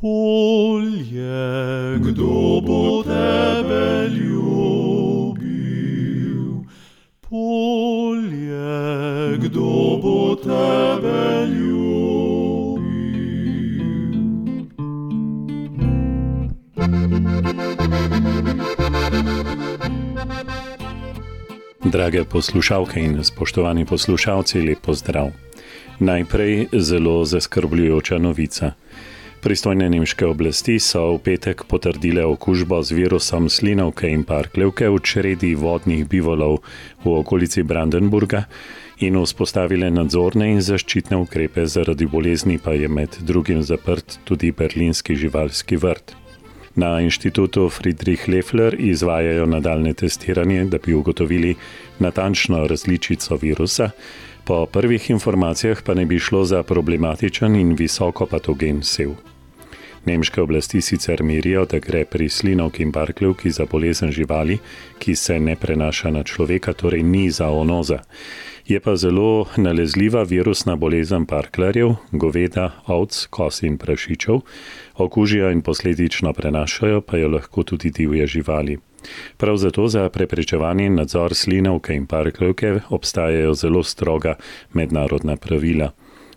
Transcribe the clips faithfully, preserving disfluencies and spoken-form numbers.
Polje, kdo bo tebe ljubil? Polje, kdo bo tebe ljubil? Drage poslušalke in spoštovani poslušalci, lep pozdrav. Najprej zelo zaskrbljujoča novica. Pristojne nemške oblasti so v petek potrdile okužbo z virusom slinavke in parkljevke v čredi vodnih bivolov v okolici Brandenburga in vzpostavile nadzorne in zaščitne ukrepe, zaradi bolezni pa je med drugim zaprt tudi berlinski živalski vrt. Na inštitutu Friedrich Loeffler izvajajo nadaljne testiranje, da bi ugotovili natančno različico virusa. Po prvih informacijah pa ne bi šlo za problematičen in visoko patogen sev. Nemške oblasti sicer mirijo, da gre pri slinavki in parkljevki za bolezen živali, ki se ne prenaša na človeka, torej ni zoonoza. Je pa zelo nalezljiva virusna bolezen parkljarjev, goveda, ovc, kos in prašičev, okužijo in posledično prenašajo pa jo lahko tudi divje živali. Prav zato za preprečevanje in nadzor slinavke in parkljevke obstajajo zelo stroga mednarodna pravila.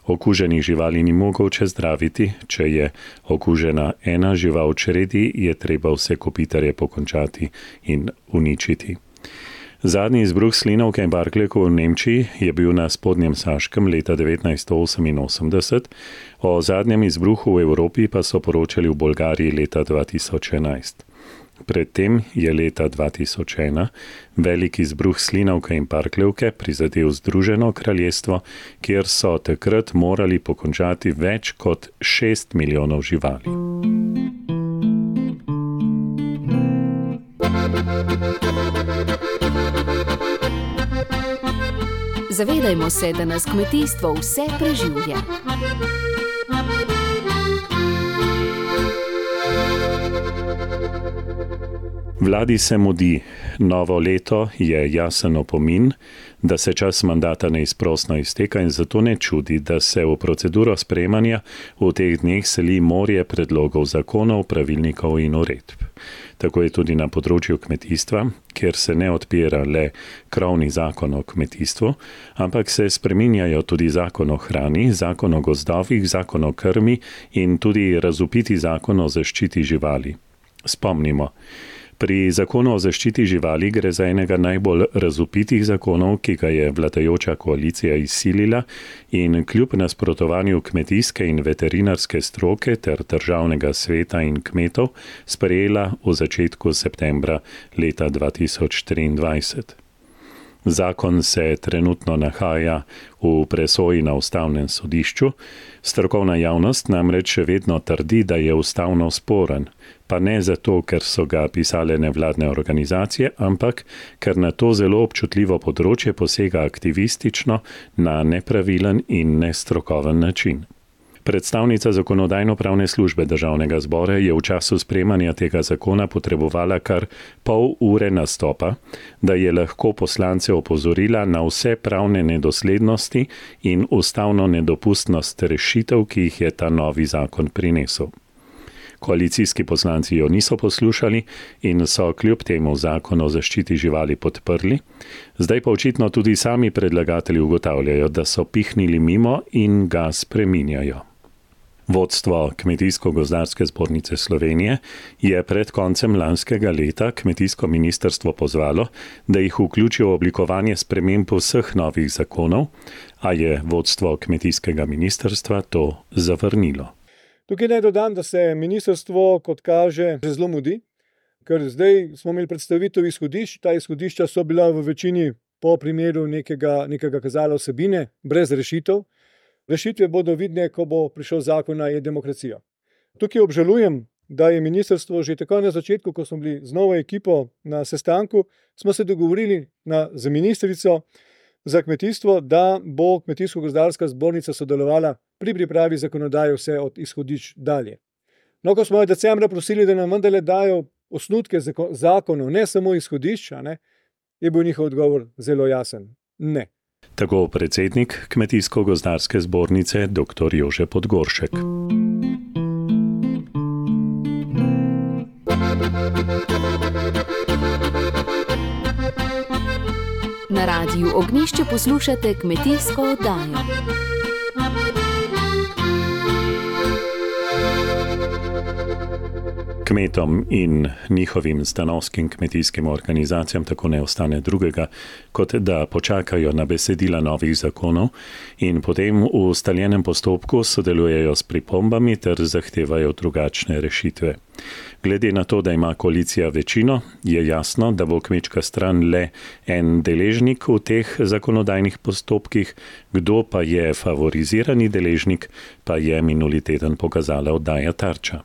Okuženih živali ni mogoče zdraviti, če je okužena ena žival v čredi, je treba vse kopitarje pokončati in uničiti. Zadnji izbruh slinavke in parkljevke v Nemčiji je bil na Spodnjem Saškem leta devetnajststo oseminosemdeset, o zadnjem izbruhu v Evropi pa so poročali v Bolgariji leta dva tisoč enajst. Predtem je leta dva tisoč ena velik izbruh slinavke in parkljevke prizadel Združeno kraljestvo, kjer so takrat morali pokončati več kot šest milijonov živali. Zavedajmo se, da nas kmetijstvo vse preživlja. Vladi se mudi. Novo leto je jasen opomin, da se čas mandata neizprosno izteka in zato ne čudi, da se v proceduro sprejemanja v teh dneh seli morje predlogov zakonov, pravilnikov in uredb. Tako je tudi na področju kmetijstva, kjer se ne odpira le krovni zakon o kmetijstvu, ampak se spreminjajo tudi zakon o hrani, zakon o gozdovih, zakon o krmi in tudi razvpiti zakon o zaščiti živali. Spomnimo. Pri zakonu o zaščiti živali gre za enega najbolj razvpitih zakonov, ki ga je vladajoča koalicija izsilila in kljub nasprotovanju kmetijske in veterinarske stroke ter državnega sveta in kmetov sprejela v začetku septembra leta dva tisoč triindvajset. Zakon se trenutno nahaja v presoji na ustavnem sodišču, strokovna javnost namreč še vedno trdi, da je ustavno sporen, pa ne zato, ker so ga pisale nevladne organizacije, ampak ker na to zelo občutljivo področje posega aktivistično na nepravilen in nestrokoven način. Predstavnica Zakonodajno-pravne službe Državnega zbora je v času sprejemanja tega zakona potrebovala kar pol ure nastopa, da je lahko poslance opozorila na vse pravne nedoslednosti in ustavno nedopustnost rešitev, ki jih je ta novi zakon prinesel. Koalicijski poslanci jo niso poslušali in so kljub temu zakon o zaščiti živali podprli, zdaj pa očitno tudi sami predlagatelji ugotavljajo, da so pihnili mimo in ga spreminjajo. Vodstvo Kmetijsko-gozdarske zbornice Slovenije je pred koncem lanskega leta kmetijsko ministrstvo pozvalo, da jih vključi v oblikovanje sprememb vseh novih zakonov, a je vodstvo kmetijskega ministrstva to zavrnilo. Tukaj naj dodam, da se ministrstvo, kot kaže, zelo mudi, ker zdaj smo imeli predstavitev izhodišč, ta izhodišča so bila v večini po primeru nekega, nekega kazala vsebine, brez rešitev. Rešitve bodo vidne, ko bo prišel zakon na e-demokracijo. Tukaj obžalujem, da je ministrstvo že tako na začetku, ko smo bili z novo ekipo na sestanku, smo se dogovorili na, z ministrico za kmetijstvo, da bo Kmetijsko-gozdarska zbornica sodelovala pri pripravi zakonodaje vse od izhodišč dalje. No, ko smo jo decembra prosili, da nam vendarle dajo osnutke zakonov, ne samo izhodišča, ne, je bil njihov odgovor zelo jasen. Ne. Tako predsednik Kmetijsko-gozdarske zbornice dr. Jože Podgoršek. Na Radiu Ognjišče poslušate kmetijsko oddajo. Kmetom in njihovim stanovskim kmetijskim organizacijam tako ne ostane drugega, kot da počakajo na besedila novih zakonov in potem v ustaljenem postopku sodelujejo s pripombami ter zahtevajo drugačne rešitve. Glede na to, da ima koalicija večino, je jasno, da bo kmečka stran le en deležnik v teh zakonodajnih postopkih, kdo pa je favorizirani deležnik, pa je minuli teden pokazala oddaja Tarča.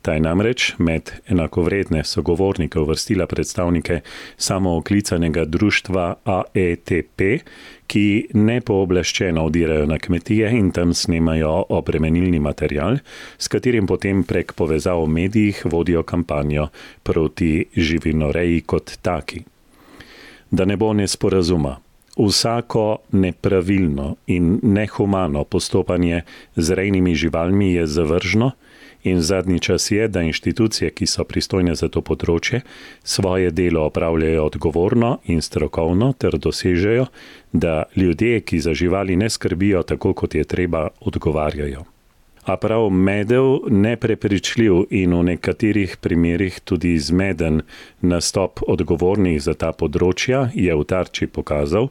Ta je namreč med enakovredne sogovornike uvrstila predstavnike samooklicanega društva A E T P, ki nepooblaščeno vdirajo na kmetije in tam snemajo obremenilni material, s katerim potem prek povezav v medijih vodijo kampanjo proti živinoreji kot taki. Da ne bo nesporazuma. Vsako nepravilno in nehumano postopanje z rejnimi živalmi je zavržno in zadnji čas je, da inštitucije, ki so pristojne za to področje, svoje delo opravljajo odgovorno in strokovno ter dosežejo, da ljudje, ki za živali ne skrbijo tako, kot je treba, odgovarjajo. A prav medel, neprepričljiv in v nekaterih primerih tudi zmeden nastop odgovornih za ta področja je v Tarči pokazal,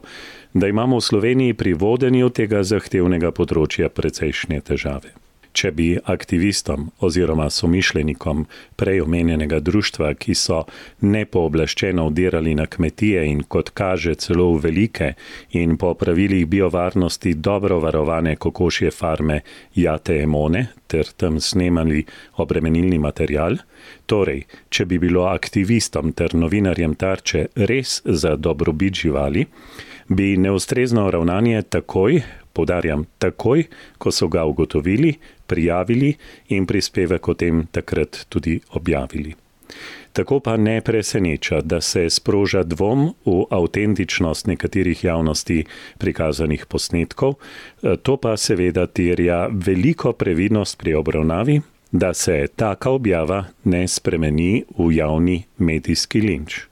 da imamo v Sloveniji pri vodenju tega zahtevnega področja precejšnje težave. Če bi aktivistom oziroma somišljenikom prej omenjenega društva, ki so nepooblaščeno vdirali na kmetije in kot kaže celo v velike in po pravilih biovarnosti dobro varovane kokošje farme Jate Emone ter tam snemali obremenilni material, torej, če bi bilo aktivistom ter novinarjem Tarče res za dobrobit živali, bi neustrezno ravnanje takoj, poudarjam takoj, ko so ga ugotovili, prijavili in prispevek o tem takrat tudi objavili. Tako pa ne preseneča, da se sproža dvom v avtentičnost nekaterih javnosti prikazanih posnetkov, to pa seveda terja veliko previdnost pri obravnavi, da se taka objava ne spremeni v javni medijski linč.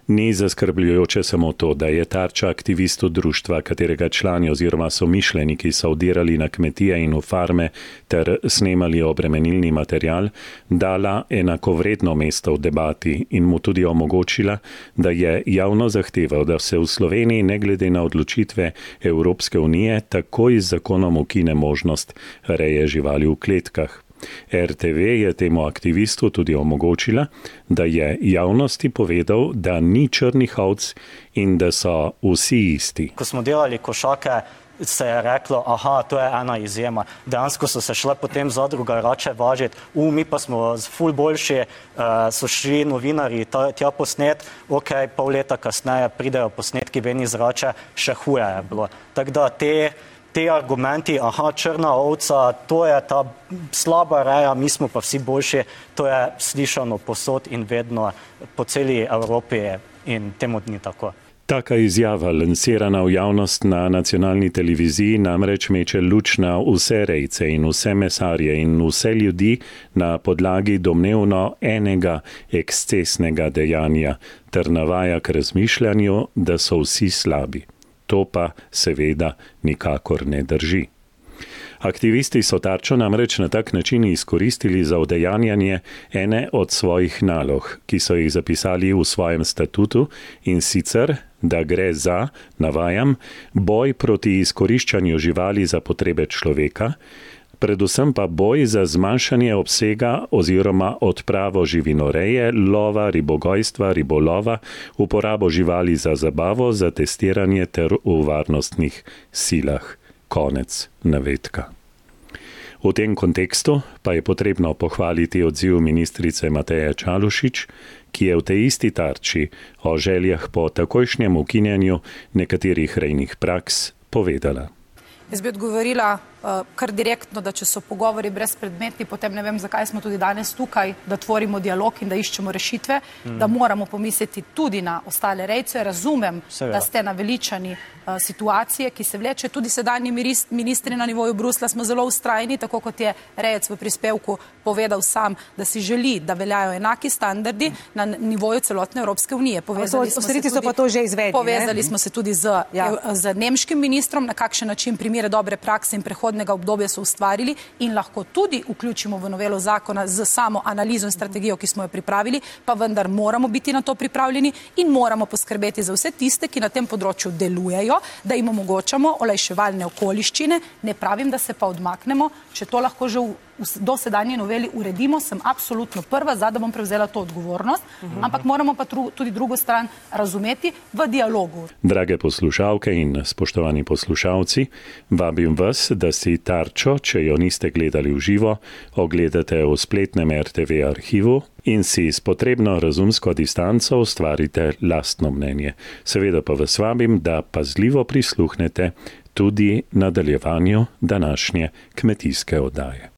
Ni zaskrbljujoče samo to, da je Tarča aktivistu društva, katerega člani oziroma somišljeniki so vdirali na kmetije in v farme ter snemali obremenilni material, dala enakovredno mesto v debati in mu tudi omogočila, da je javno zahteval, da se v Sloveniji ne glede na odločitve Evropske unije takoj z zakonom ukine možnost reje živali v kletkah. R T V je temu aktivistu tudi omogočila, da je javnosti povedal, da ni črnih ovc in da so vsi isti. Ko smo delali košake, se je reklo, aha, to je ena izjema. Dejansko so se šle potem zadruga rače važiti, u, mi pa smo ful boljši, uh, so šli novinarji tja posnet, ok, pol leta kasneje pridejo posnetki ven iz rače, še huje je bilo. Tako da te Te argumenti, aha, črna ovca, to je ta slaba reja, mi smo pa vsi boljši, to je slišano posod in vedno po celi Evropi in temu ni tako. Taka izjava, lansirana v javnost na nacionalni televiziji, namreč meče luč na vse rejce in vse mesarje in vse ljudi na podlagi domnevno enega ekscesnega dejanja ter navaja k razmišljanju, da so vsi slabi. To pa seveda nikakor ne drži. Aktivisti so Tarčo namreč na tak način izkoristili za udejanjanje ene od svojih nalog, ki so jih zapisali v svojem statutu in sicer, da gre za, navajam, boj proti izkoriščanju živali za potrebe človeka, predvsem pa boj za zmanjšanje obsega oziroma odpravo živinoreje, lova, ribogojstva, ribolova, uporabo živali za zabavo, za testiranje ter v varnostnih silah. Konec navedka. V tem kontekstu pa je potrebno pohvaliti odziv ministrice Mateje Čalušić, ki je v tej isti Tarči o željah po takojšnjem ukinjanju nekaterih rejnih praks povedala. Jaz bi odgovorila kar direktno, da če so pogovori brezpredmetni, potem ne vem, zakaj smo tudi danes tukaj, da tvorimo dialog in da iščemo rešitve, mm. da moramo pomisliti tudi na ostale rejce. Razumem, Seveda. Da ste naveličani uh, situacije, ki se vleče. Tudi sedanji ministri na nivoju Bruslja smo zelo ustrajni, tako kot je rejec v prispevku povedal sam, da si želi, da veljajo enaki standardi na nivoju celotne Evropske unije. Povezali smo se tudi, so pa to že izvedli, povezali smo se tudi z, ja. z nemškim ministrom, na kakšen način primere dobre prakse in prehodnega obdobja so ustvarili in lahko tudi vključimo v novelo zakona z samo analizo in strategijo, ki smo jo pripravili, pa vendar moramo biti na to pripravljeni in moramo poskrbeti za vse tiste, ki na tem področju delujejo, da jim omogočamo olajševalne okoliščine. Ne pravim, da se pa odmaknemo, če to lahko že v do sedanje noveli uredimo, sem absolutno prva, za da bom prevzela to odgovornost, uhum. Ampak moramo pa tru, tudi drugo stran razumeti v dialogu. Drage poslušalke in spoštovani poslušalci, vabim vas, da si Tarčo, če jo niste gledali v živo, ogledate v spletnem er te ve arhivu in si s potrebno razumsko distanco ustvarite lastno mnenje. Seveda pa vas vabim, da pazljivo prisluhnete tudi nadaljevanju današnje kmetijske oddaje.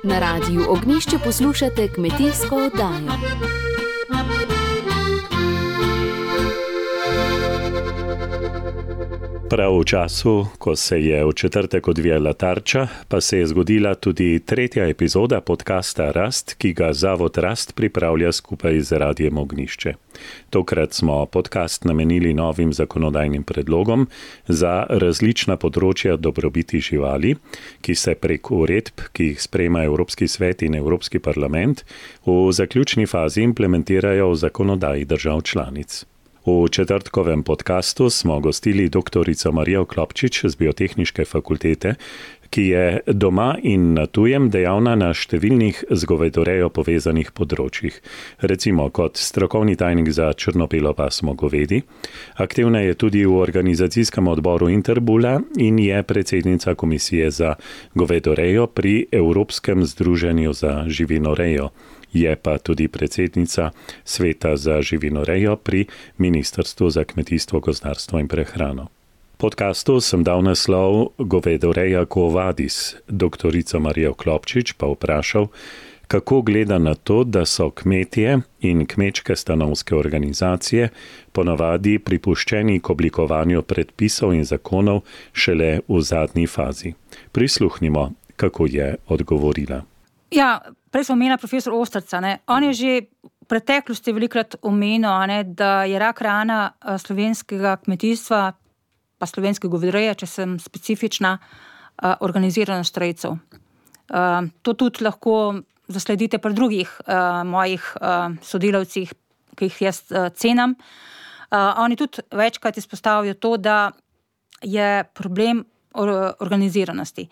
Na radiju Ognjišče poslušate kmetijsko oddajo. Prav v času, ko se je v četrtek odvijala Tarča, pa se je zgodila tudi tretja epizoda podcasta Rast, ki ga Zavod Rast pripravlja skupaj z Radijem Ognjišče. Tokrat smo podcast namenili novim zakonodajnim predlogom za različna področja dobrobiti živali, ki se prek uredb, ki jih sprejema Evropski svet in Evropski parlament, v zaključni fazi implementirajo v zakonodaji držav članic. V četrtkovem podcastu smo gostili doktorico Marijo Klopčič z Biotehniške fakultete, ki je doma in na tujem dejavna na številnih z govedorejo povezanih področjih. Recimo kot strokovni tajnik za črno-belo pasmo govedi, aktivna je tudi v organizacijskem odboru Interbula in je predsednica komisije za govedorejo pri Evropskem združenju za živinorejo. Je pa tudi predsednica Sveta za živinorejo pri Ministrstvu za kmetijstvo, gozdarstvo in prehrano. Podcastu sem dal naslov Govedoreja Quo Vadis, doktorico Marijo Klopčič pa vprašal, kako gleda na to, da so kmetje in kmečke stanovske organizacije ponavadi pripuščeni k oblikovanju predpisov in zakonov šele v zadnji fazi. Prisluhnimo, kako je odgovorila. Ja, prej smo omenila profesor Ostrca. Ne? On je že v preteklosti velikrat omenil, ne, da je rak rana slovenskega kmetijstva, pa slovenske govedoreje, če sem specifična, organiziranost rejcev. To tudi lahko zasledite pri drugih mojih sodelavcih, ki jih jaz cenam. Oni tudi večkrat izpostavijo to, da je problem organiziranosti.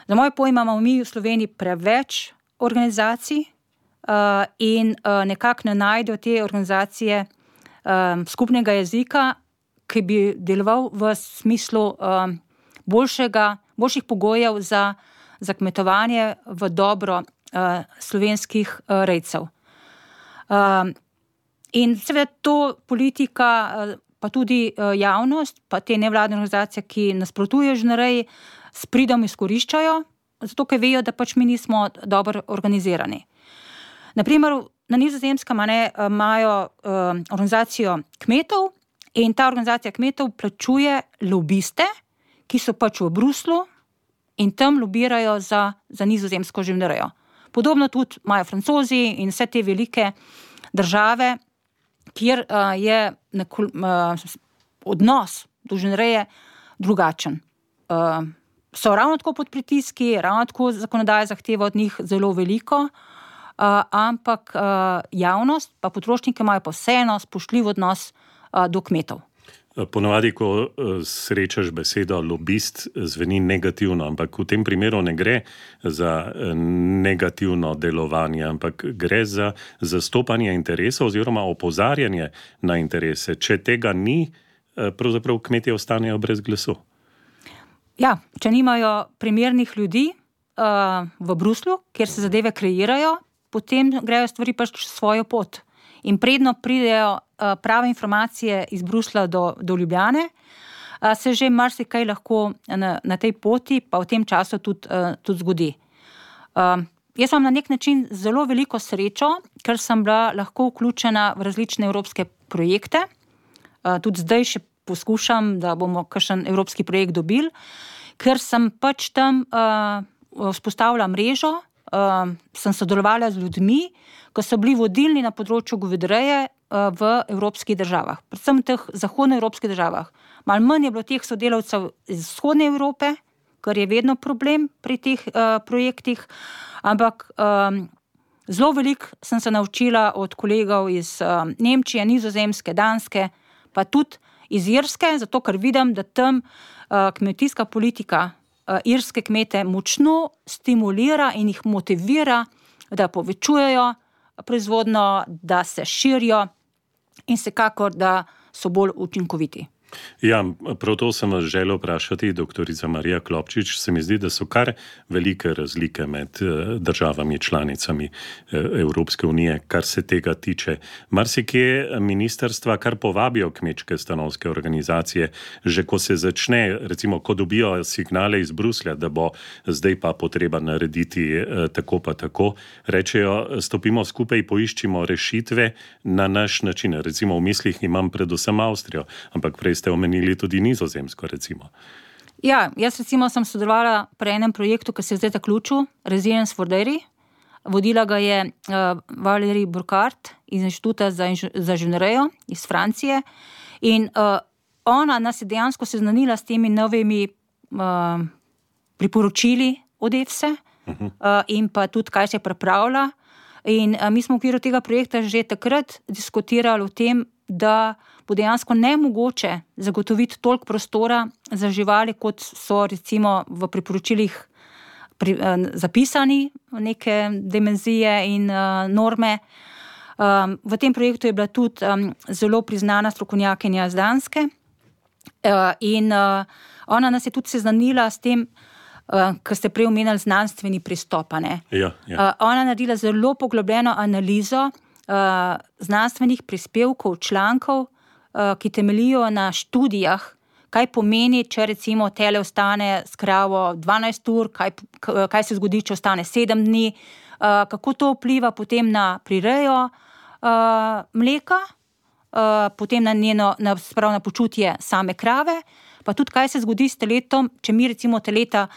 Za moje pojma imamo mi v Sloveniji preveč organizacij uh, in uh, nekako ne najdejo te organizacije um, skupnega jezika, ki bi deloval v smislu um, boljšega, boljših pogojev za, za kmetovanje v dobro uh, slovenskih uh, rejcev. Um, in seveda to politika, uh, pa tudi uh, javnost, pa te nevladne organizacije, ki nasprotujejo živinoreji, s pridom izkoriščajo, zato ker vejo, da pač mi nismo dobro organizirani. Naprimer, na Nizozemskem imajo uh, organizacijo kmetov in ta organizacija kmetov plačuje lobiste, ki so pač v Bruslu in tam lobirajo za, za nizozemsko živinorejo. Podobno tudi imajo Francozi in vse te velike države, kjer uh, je neko, uh, odnos do živinoreje drugačen. Uh, so ravno tako pod pritiski, ravno tako zakonodaja zahteva od njih zelo veliko, uh, ampak uh, javnost pa potrošniki imajo pa vseeno spoštljiv odnos uh, do kmetov. Ponovadi, ko srečaš besedo lobist, zveni negativno, ampak v tem primeru ne gre za negativno delovanje, ampak gre za zastopanje interesov oziroma opozarjanje na interese. Če tega ni, pravzaprav kmetje ostanejo brez glasu. Ja, če nimajo primernih ljudi uh, v Bruslju, kjer se zadeve kreirajo, potem grejo stvari pač svojo pot. in predno pridejo uh, prave informacije iz Bruslja do, do Ljubljane, uh, se že marsikaj lahko na, na tej poti, pa v tem času tudi, uh, tudi zgodi. Uh, jaz imam na nek način zelo veliko srečo, ker sem bila lahko vključena v različne evropske projekte. Uh, tudi zdaj še poskušam, da bomo kakšen evropski projekt dobili, ker sem pač tam uh, vzpostavila mrežo, uh, sem sodelovala z ljudmi, ko so bili vodilni na področju govedoreje uh, v evropskih državah, predvsem v teh zahodnoevropskih državah. Malo manj je bilo teh sodelavcev iz vzhodne Evrope, kar je vedno problem pri teh uh, projektih, ampak um, zelo veliko sem se naučila od kolegov iz uh, Nemčije, Nizozemske, Danske, pa tudi iz Irske, zato ker vidim, da tam uh, kmetijska politika uh, irske kmete močno stimulira in jih motivira, da povečujejo proizvodno, da se širijo in vsekakor, da so bolj učinkoviti. Ja, prav to sem vas želel vprašati, doktorica Marija Klopčič. Se mi zdi, da so kar velike razlike med državami članicami Evropske unije, kar se tega tiče. Marsikje ministrstva kar povabijo kmečke stanovske organizacije, že ko se začne, recimo, ko dobijo signale iz Bruslja, da bo zdaj pa potreba narediti tako pa tako, rečejo, stopimo skupaj, poiščimo rešitve na naš način. Recimo v mislih imam predvsem Avstrijo, ampak prej ste omenili tudi Nizozemsko, recimo. Ja, jaz recimo sem sodelovala pri enem projektu, ki se je zdaj zaključil, Resilience for Dairy. Vodila ga je uh, Valérie Burkhardt iz Inštituta za, za živinorejo iz Francije in uh, ona nas je dejansko seznanila s temi novimi uh, priporočili od E F S E uh-huh. uh, in pa tudi, kaj se je pripravila. In uh, mi smo v okviru tega projekta že takrat diskutirali o tem, da bo dejansko nemogoče zagotoviti toliko prostora za živali, kot so recimo v priporočilih pri, eh, zapisani neke dimenzije in eh, norme. Um, v tem projektu je bila tudi um, zelo priznana strokovnjakinja z Danske uh, in uh, ona nas je tudi seznanila s tem, uh, kar ste prej omenili, znanstveni pristop. Ja, ja. Uh, ona naredila zelo poglobljeno analizo Uh, znanstvenih prispevkov, člankov, uh, ki temeljijo na študijah, kaj pomeni, če recimo tele ostane s kravo dvanajst ur, kaj, kaj se zgodi, če ostane sedem dni, uh, kako to vpliva potem na prirejo uh, mleka, uh, potem na njeno, na, sprav, na počutje same krave, pa tudi kaj se zgodi s teletom, če mi recimo teleta,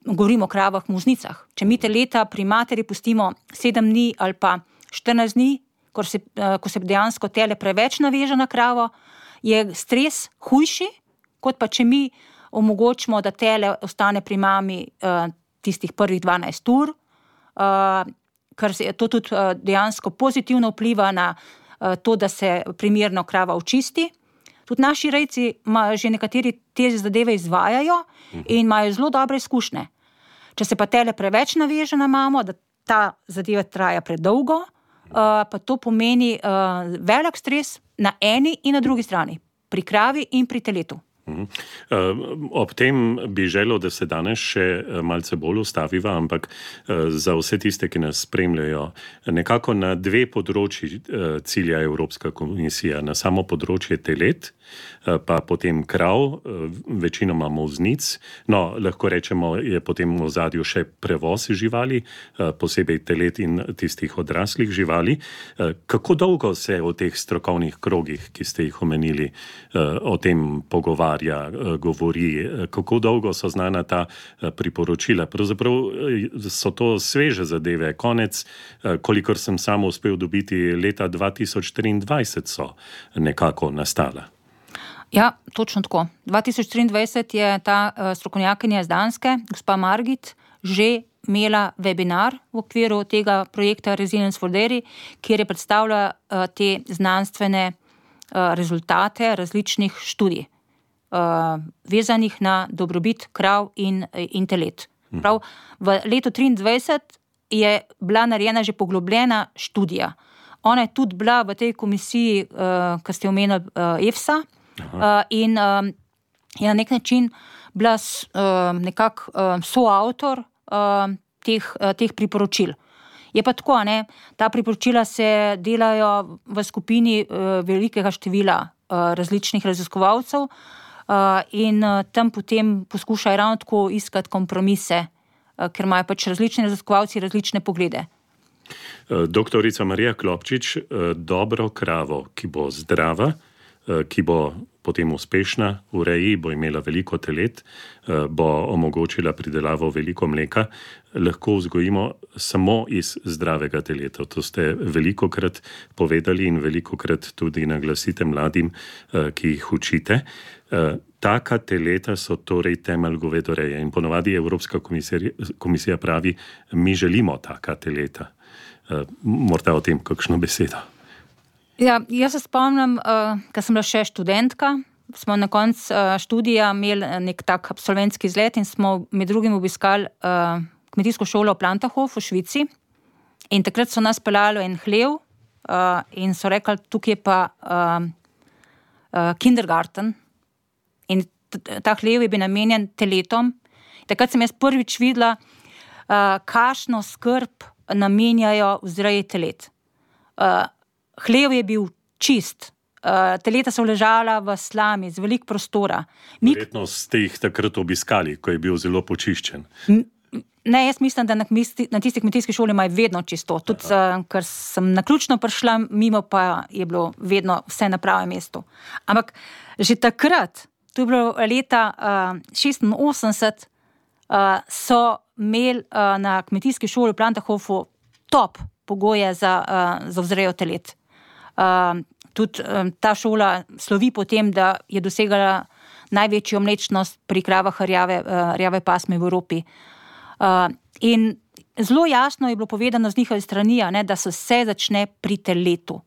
govorimo o kravah, muznicah, če mi teleta pri materi pustimo sedem dni ali pa štirinajst dni, ko se, ko se dejansko tele preveč naveže na kravo, je stres hujši, kot pa če mi omogočimo, da tele ostane pri mami uh, tistih prvih dvanajst ur, uh, ker se to tudi uh, dejansko pozitivno vpliva na uh, to, da se primerno krava očisti. Tudi naši rejci že nekateri te zadeve izvajajo in imajo zelo dobre izkušnje. Če se pa tele preveč naveže na mamo, da ta zadeva traja predolgo, Uh, pa to pomeni uh, velik stres na eni in na drugi strani, pri kravi in pri teletu. Uh, ob tem bi želel, da se danes še malce bolj ustaviva, ampak uh, za vse tiste, ki nas spremljajo, nekako na dve področji uh, cilja Evropska komisija, na samo področje telet, uh, pa potem krav, uh, večinoma moznic, no, lahko rečemo, je potem v ozadju še prevoz živali, uh, posebej telet in tistih odraslih živali. Uh, kako dolgo se o teh strokovnih krogih, ki ste jih omenili, uh, o tem pogovarja, govori, kako dolgo so znana ta priporočila. Pravzaprav so to sveže zadeve. Konec, kolikor sem samo uspel dobiti, leta dva tisoč triindvajset so nekako nastala. Ja, točno tako. dva tisoč triindvajset je ta strokovnjakinja iz Danske, gospa Margit, že imela webinar v okviru tega projekta Resilience for Dairy, kjer je predstavila te znanstvene rezultate različnih študij. Uh, vezanih na dobrobit krav in, in telet. Prav, v letu triindvajset je bila narejena že poglobljena študija. Ona je tudi bila v tej komisiji, uh, ki ste omenili uh, E F S A, uh, in uh, je na nek način bila uh, nekako uh, soavtor uh, teh, uh, teh priporočil. Je pa tako, ne, ta priporočila se delajo v skupini uh, velikega števila uh, različnih raziskovalcev uh, in uh, tam potem poskušajo ravno tako iskati kompromise, uh, ker imajo pač različni raziskovalci različne poglede. Doktorica Marija Klopčič, dobro kravo, ki bo zdrava, ki bo potem uspešna v reji, bo imela veliko telet, bo omogočila pridelavo veliko mleka, lahko vzgojimo samo iz zdravega teleta. To ste velikokrat povedali in velikokrat tudi naglasite mladim, ki jih učite. Taka teleta so torej temelj govedoreje in ponovadi Evropska komisija, komisija pravi, mi želimo taka teleta. Uh, morda o tem kakšno besedo. Ja, jaz se spomnim, uh, ko sem bila še študentka, smo na koncu uh, študija imeli nek tak absolventski izlet in smo med drugim obiskali uh, kmetijsko šolo v Plantahof v Švici in takrat so nas peljali en hlev uh, in so rekli, tukaj je pa uh, uh, kindergarten in ta hlev je bil namenjen teletom. Takrat sem jaz prvič videla, uh, kakšno skrb namenjajo vzreji telet. Uh, hlev je bil čist, uh, teleta so ležala v slami, z veliko prostora. Mi... Verjetno ste jih takrat obiskali, ko je bil zelo počiščen. Ne, jaz mislim, da na, kmisti, na tisti kmetijski šoli imajo vedno čisto. Tudi, uh, ker sem naključno prišla, mimo pa je bilo vedno vse na pravem mestu. Ampak že takrat, to je bilo leta uh, šestinosemdeset, uh, so imeli uh, na kmetijski šoli v Plantahofu top pogoje za, uh, za vzrejo telet. Uh, tudi um, ta šola slovi po tem, da je dosegala največjo mlečnost pri kravah rjave, uh, rjave pasme v Evropi. Uh, in zelo jasno je bilo povedano z njihove strani, ne, da se vse začne pri teletu.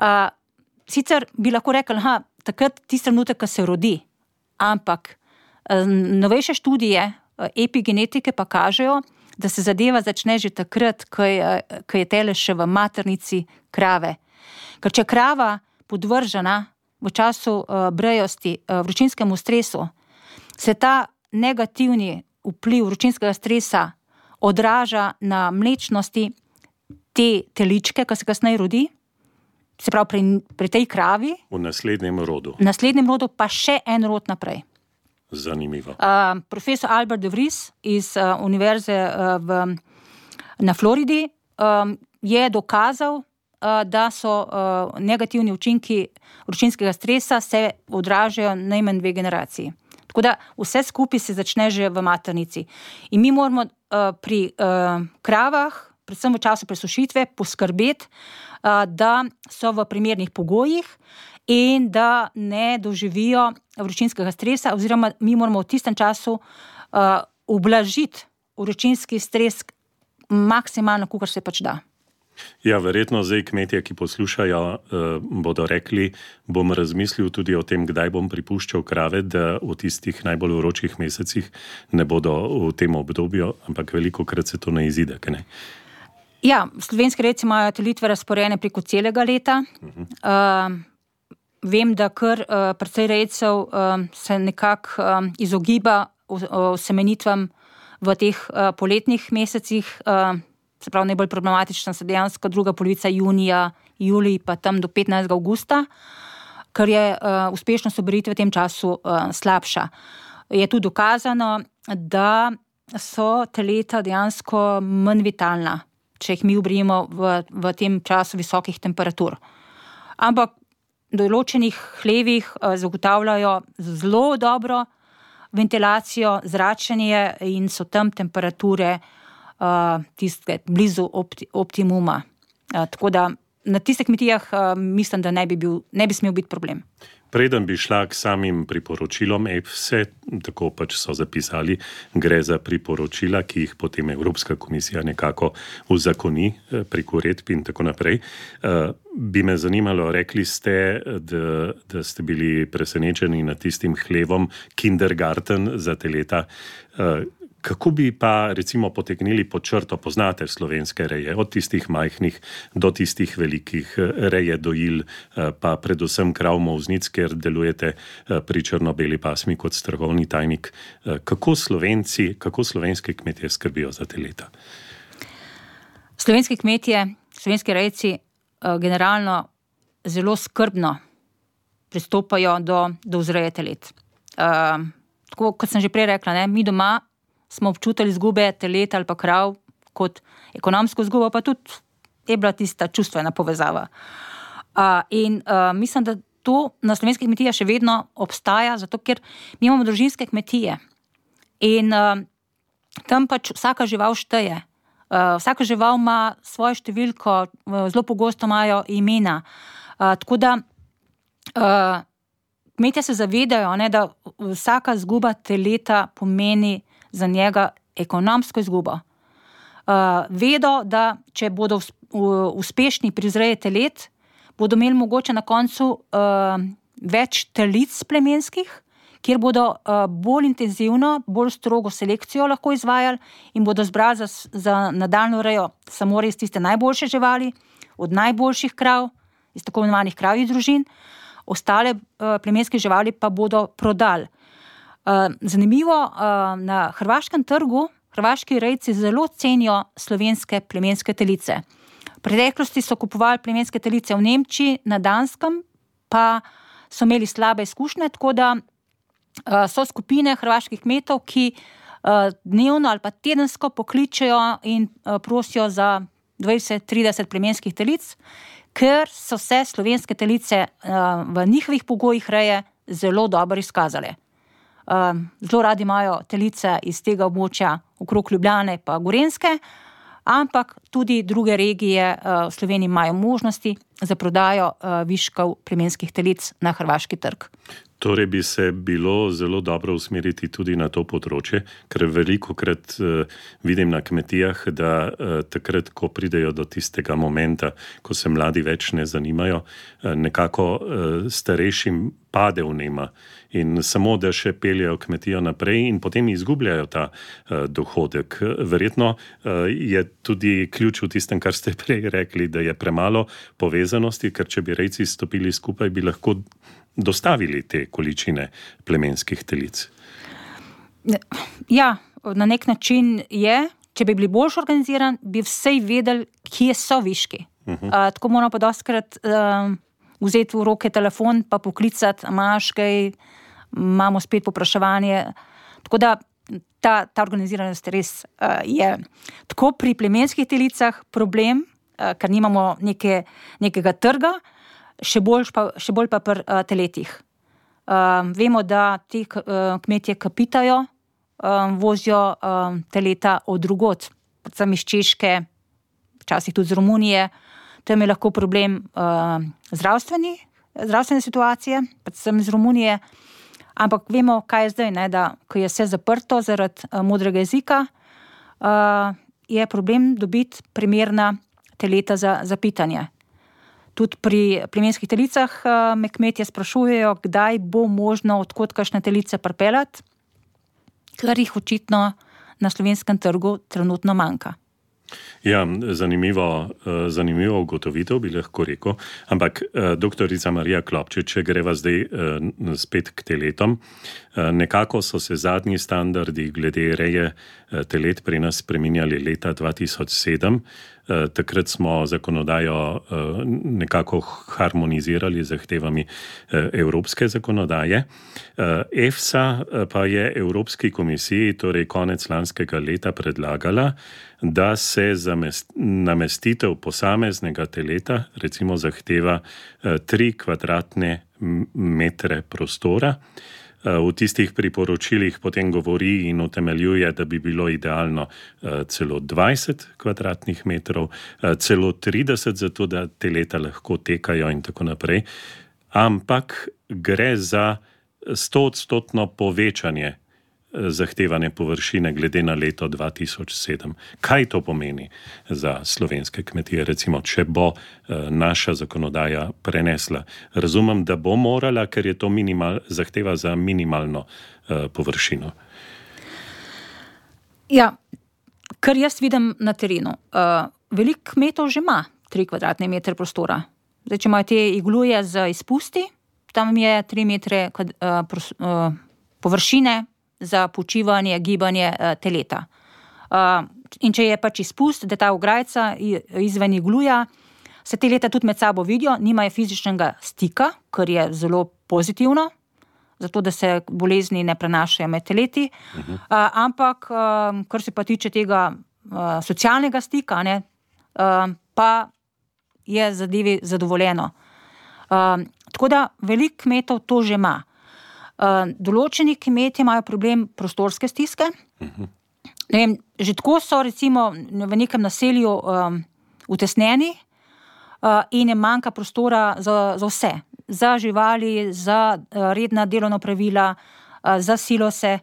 Uh, sicer bi lahko rekli, ha, takrat tisti trenutek, ko se rodi, ampak uh, novejše študije epigenetike pa kažejo, da se zadeva začne že takrat, ko je, ko je tele še v maternici krave. Ker če krava podvržena v času uh, brejosti uh, vročinskemu stresu, se ta negativni vpliv vročinskega stresa odraža na mlečnosti te teličke, ko se kasneje rodi, se pravi pri, pri tej kravi. V naslednjem rodu. V naslednjem rodu pa še en rod naprej. Zanimivo. Uh, profesor Albert de Vries iz uh, univerze uh, v, na Floridi um, je dokazal, uh, da so uh, negativni učinki vročinskega stresa se odražajo najmanj dve generaciji. Tako da vse skupaj se začne že v maternici. In mi moramo uh, pri uh, kravah, predvsem v času presušitve, poskrbeti, uh, da so v primernih pogojih in da ne doživijo vročinskega stresa, oziroma mi moramo v tistem času uh, ublažiti vročinski stres maksimalno, kolikor se pač da. Ja, verjetno zdaj kmetje, ki poslušajo, uh, bodo rekli, bom razmislil tudi o tem, kdaj bom pripuščal krave, da v tistih najbolj vročih mesecih ne bodo v tem obdobju, ampak velikokrat se to ne izide, kaj ne? Ja, slovenski rejci imajo telitve razporejene preko celega leta. Uh-huh. Uh, Vem, da kar uh, precej rejcev uh, se nekako uh, izogiba semenitvam v teh uh, poletnih mesecih, uh, se pravi najbolj problematična se dejansko druga polovica junija, julij pa tam do petnajstega avgusta, ker je uh, uspešnost oberitve v tem času uh, slabša. Je tudi dokazano, da so teleta dejansko manj vitalna, če jih mi obrijemo v, v tem času visokih temperatur. Ampak določenih hlevih zagotavljajo zelo dobro ventilacijo, zračenje in so tam temperature uh, tiste blizu opti, optimuma. Uh, tako da na tistih kmetijah uh, mislim, da ne bi, bil, ne bi smel biti problem. Preden bi šla k samim priporočilom E F S A, tako pač so zapisali, gre za priporočila, ki jih potem Evropska komisija nekako uzakoni prek uredb in tako naprej. Bi me zanimalo, rekli ste, da, da ste bili presenečeni nad tistim hlevom kindergarten za teleta. Kako bi pa recimo potegnili pod črto, poznate slovenske reje, od tistih majhnih do tistih velikih reje dojil, pa predvsem krav molznic, ker delujete pri črno-beli pasmi kot strokovni tajnik. Kako Slovenci, kako slovenske kmetje skrbijo za teleta? slovenski kmetje, slovenski rejci generalno zelo skrbno pristopajo do, do vzreje telet. Uh, tako, kot sem že prej rekla, ne, mi doma smo občutili izgube telet ali pa krav kot ekonomsko izgubo, pa tudi je bila tista čustvena povezava. Uh, in uh, mislim, da to na slovenskih kmetijah še vedno obstaja, zato ker mi imamo družinske kmetije in uh, tam pač vsaka žival šteje. Uh, vsaka žival ima svojo številko, uh, zelo pogosto imajo imena. Uh, tako da uh, kmetje se zavedajo, ne, da vsaka izguba teleta pomeni za njega ekonomsko izgubo. Uh, vedo, da če bodo us, uh, uspešni pri vzreji telet, bodo imeli mogoče na koncu uh, več telic plemenskih, kjer bodo uh, bolj intenzivno, bolj strogo selekcijo lahko izvajali in bodo zbrali za, za nadaljnjo rejo samo res tiste najboljše živali, od najboljših krav, iz tako imenovanih kravjih družin, ostale uh, plemenske živali pa bodo prodali. Uh, zanimivo, uh, na hrvaškem trgu hrvaški rejci zelo cenijo slovenske plemenske telice. V preteklosti so kupovali plemenske telice v Nemčiji, na Danskem pa so imeli slabe izkušnje, tako da Uh, so skupine hrvaških kmetov, ki uh, dnevno ali pa tedensko pokličejo in uh, prosijo za dvajset trideset plemenskih telic, ker so se slovenske telice uh, v njihovih pogojih reje zelo dobro izkazale. Uh, zelo radi imajo telice iz tega območja okrog Ljubljane pa Gorenjske, ampak tudi druge regije uh, v Sloveniji imajo možnosti za prodajo uh, viškov plemenskih telic na hrvaški trg. Torej bi se bilo zelo dobro usmeriti tudi na to področje, ker veliko krat uh, vidim na kmetijah, da uh, takrat, ko pridejo do tistega momenta, ko se mladi več ne zanimajo, uh, nekako uh, starejšim pade vnema in samo, da še peljejo kmetijo naprej in potem izgubljajo ta uh, dohodek. Verjetno uh, je tudi ključ v tistem, kar ste prej rekli, da je premalo povezanosti, ker če bi rejci stopili skupaj, bi lahko dostavili te količine plemenskih telic. Ja, na nek način je, če bi bili bolj organizirani, bi vsej vedeli, kje so viški. Uh-huh. Uh, tako moramo pa dostkrat uh, vzeti v roke telefon, pa poklicati, imaš kaj, imamo spet popraševanje. Tako da ta, ta organiziranost res uh, je. Tako pri plemenskih telicah problem, uh, ker nimamo neke, nekega trga, Še bolj, pa, še bolj pa pri uh, teletih. Um, vemo, da ti uh, kmetje kapitajo, um, vozijo um, teleta od drugod, predvsem iz Češke, včasih tudi z Romunije. Tam je lahko problem uh, zdravstveni, zdravstvene situacije, predvsem iz Romunije. Ampak vemo, kaj je zdaj, ne, da ko je vse zaprto zaradi uh, modrega jezika, uh, je problem dobiti primerna teleta za, za pitanje. Tudi pri plemenskih telicah me kmetje sprašujejo, kdaj bo možno odkot kakšne telice pripeljati, ker jih očitno na slovenskem trgu trenutno manjka. Ja, zanimivo, zanimivo ugotovitev bi lahko rekel, ampak doktorica Marija Klopčič, če greva zdaj spet k teletom, nekako so se zadnji standardi glede reje telet pri nas spreminjali leta dva tisoč sedem. Takrat smo zakonodajo nekako harmonizirali z zahtevami evropske zakonodaje. EFSA pa je Evropski komisiji, torej konec lanskega leta, predlagala, da se za namestitev posameznega teleta recimo zahteva tri kvadratne metre prostora. V tistih priporočilih potem govori in utemeljuje, da bi bilo idealno celo dvajset kvadratnih metrov, celo trideset, zato da teleta lahko tekajo in tako naprej. Ampak gre za stoodstotno povečanje zahtevane površine glede na leto dva tisoč sedem. Kaj to pomeni za slovenske kmetije, recimo, če bo naša zakonodaja prenesla? Razumem, da bo morala, ker je to minimal, zahteva za minimalno uh, površino. Ja, kar jaz vidim na terenu. Uh, veliko kmetov že ima tri kvadratne metre prostora. Zdaj, če imajo te igluje z izpusti, tam je tri metre uh, pros, uh, površine za počivanje, gibanje uh, teleta. Uh, in če je pač izpust, da ta ograjica izven igluja, se te leta tudi med sabo vidijo, nimajo fizičnega stika, kar je zelo pozitivno, zato da se bolezni ne prenašajo med teleti, uh-huh. uh, ampak uh, kar se pa tiče tega uh, socialnega stika, ne, uh, pa je zadevi zadovoljeno. Uh, tako da veliko kmetov to že ima. Uh, določeni kmetje imajo problem prostorske stiske. Uh-huh. Ne vem, že tako so recimo v nekem naselju um, utesnjeni uh, in je manjka prostora za, za vse. Za živali, za uh, redna delovna pravila, uh, za silose.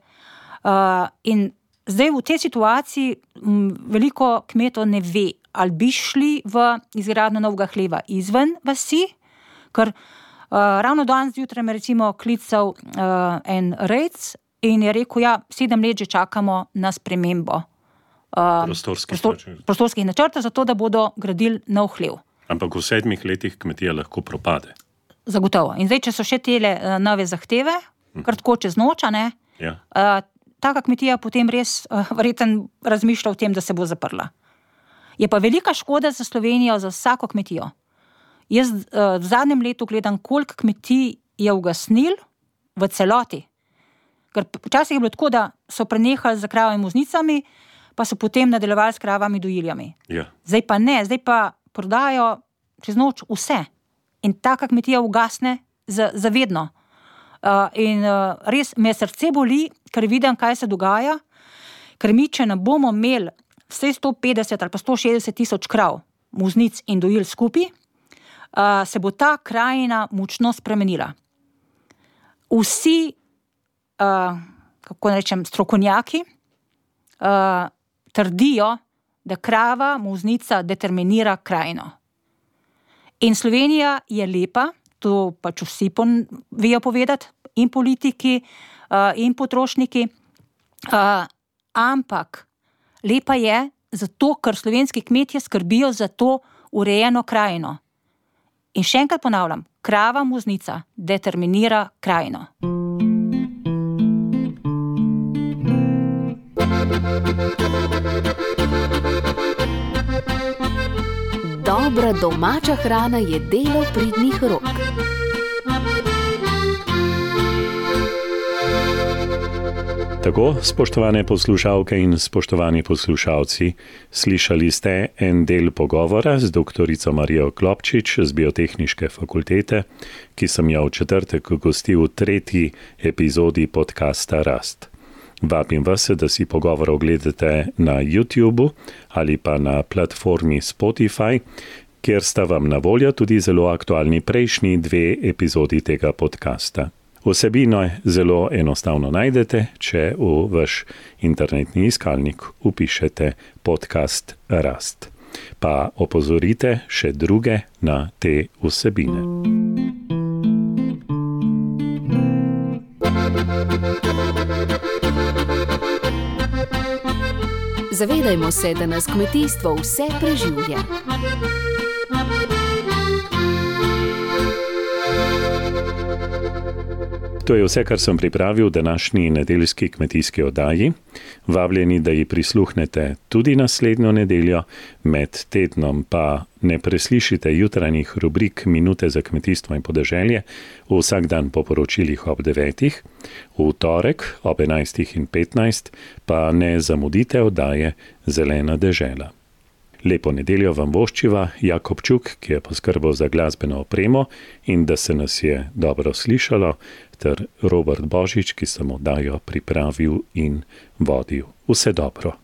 Uh, in zdaj v tej situaciji m, veliko kmetov ne ve, ali bi šli v izgradnjo novega hleva izven vasi, ker uh, ravno danes zjutraj me recimo klical uh, en rejc in je rekel, ja, sedem let že čakamo na spremembo uh, prostorskih, prostor, načrt. prostorskih načrtov, zato da bodo gradili nov hlev. Ampak v sedmih letih kmetija lahko propade. Zagotovo. In zdaj, če so še tele uh, nove zahteve, hm. kar tako čez noč, ne, ja. uh, taka kmetija potem res uh, verjetno razmišlja o tem, da se bo zaprla. Je pa velika škoda za Slovenijo, za vsako kmetijo. Jaz uh, v zadnjem letu gledam, koliko kmetij je ugasnil v celoti. Ker včasih je bilo tako, da so prenehali z kravami muznicami, pa so potem nadaljevali s kravami dojiljami. Ja. Zdaj pa ne, zdaj pa prodajo čez noč vse. In taka kmetija ugasne za, za vedno. Uh, in uh, res me srce boli, ker vidim, kaj se dogaja, ker mi, če ne bomo imeli vse sto petdeset ali pa sto šestdeset tisoč krav, muznic in dojil skupaj, uh, se bo ta krajina močno spremenila. Vsi, uh, kako rečem, strokovnjaki uh, trdijo, da krava, muznica determinira krajino. In Slovenija je lepa, to pač vsi pon, vejo povedati, in politiki, uh, in potrošniki, uh, ampak lepa je zato, ker slovenski kmetje skrbijo za to urejeno krajino. In še enkrat ponavljam, krava, muznica determinira krajino. Dobra domača hrana je delo pridnih rok. Tako, spoštovane poslušalke in spoštovani poslušalci, slišali ste en del pogovora z doktorico Marijo Klopčič z Biotehniške fakultete, ki sem jo v četrtek gostil v tretji epizodi podcasta Rast. Vabim vas, da si pogovor ogledate na YouTubu ali pa na platformi Spotify, kjer sta vam na voljo tudi zelo aktualni prejšnji dve epizodi tega podcasta. Vsebino zelo enostavno najdete, če v vaš internetni iskalnik vpišete podcast Rast. Pa opozorite še druge na te vsebine. Zavedajmo se, da nas kmetijstvo vse preživlja. To je vse, kar sem pripravil v današnji nedeljski kmetijski oddaji. Vabljeni, da ji prisluhnete tudi naslednjo nedeljo, med tednom pa ne preslišite jutranjih rubrik Minute za kmetijstvo in podeželje vsak dan po poročilih ob devetih, v torek ob enajstih in petnajst pa ne zamudite oddaje Zelena dežela. Lepo nedeljo vam voščiva Jakob Čuk, ki je poskrbel za glasbeno opremo in da se nas je dobro slišalo, ter Robert Božič, ki sem oddajo pripravil in vodil. Vse dobro.